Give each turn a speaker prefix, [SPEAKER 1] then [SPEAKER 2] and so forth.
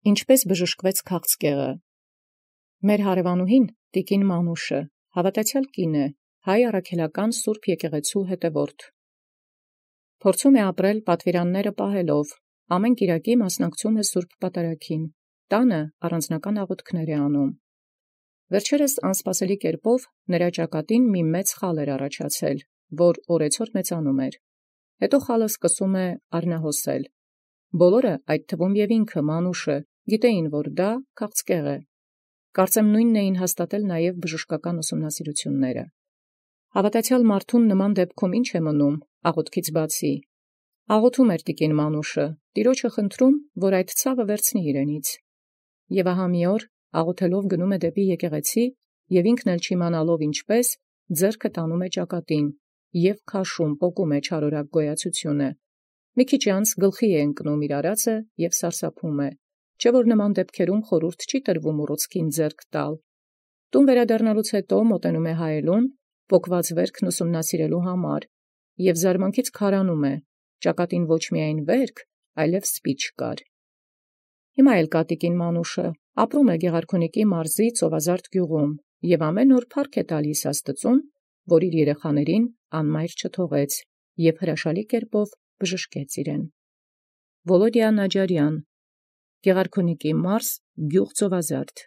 [SPEAKER 1] Ինչպէս բժշկվեց քաղցկեղը։ Մեր հարևանուհին տիկին Մանուշը հաւատացեալ կին է, հայ առաքելական սուրբ եկեղեցու հետևորդ։ Փորձում է ապրել պատվիրանները պահելով, ամեն կիրակի մասնակցում է սուրբ պատարագին, տանը առանձնական աղոթքներ է անում։ Վերջերս անսպասելի կերպով նրա ճակատին մի մեծ խալ էր առաջացել, որ օրեցօր մեծանում էր։ Հետո խալը սկսում է արնահոսել։ Բոլորը, այդ թվում և ինքը Մանուշը, գիտեին, որ դա քաղցկեղ է։ Կարծեմ նույնն էին հաստատել նաև բժշկական ուսումնասիրությունները։ Հավատացեալ մարդուն նման դեպքում ինչ է մնում աղոթքից բացի։ Աղոթում էր տիկին Մանուշը, Տեառնէ խնդրում, որ այդ ցավը վերցնի իրենից։ Եւ ահա մի օր աղոթելով գնում է դեպի եկեղեցի և ինքն էլ չիմանալով ինչպես, ձեռքը տանում է ճակատին և քաշում, պոկում է չարորակ գոյացությունը։ Մի քիչ անց գլխի է ընկնում իր արածը և սարսափում է, չէ՞ որ նման դեպքերում խորհուրդ չի տրվում ուռուցքին ձեռք տալ։ Տուն վերադառնալուց հետո մոտենում է հայելուն, պոկված վերքն ուսումնասիրելու համար, և զարմանքից քարանում է, ճակատին ոչ միայն վերք, այլև սպի չկար։ Հիմա էլ կա տիկին Մանուշը, ապրում է Գեղարքունիքի մարզի Ծովազարդ գյուղում և ամեն օր փառք է տալիս Աստուծոյ, որ իր երեխաներին անմայր չթողեց և հրաշալի կերպով բժշկեց իրեն։ Վոլոդիա Նաջարյան, Գեղարքունիքի մարզ, գյուղ Ծովազարդ։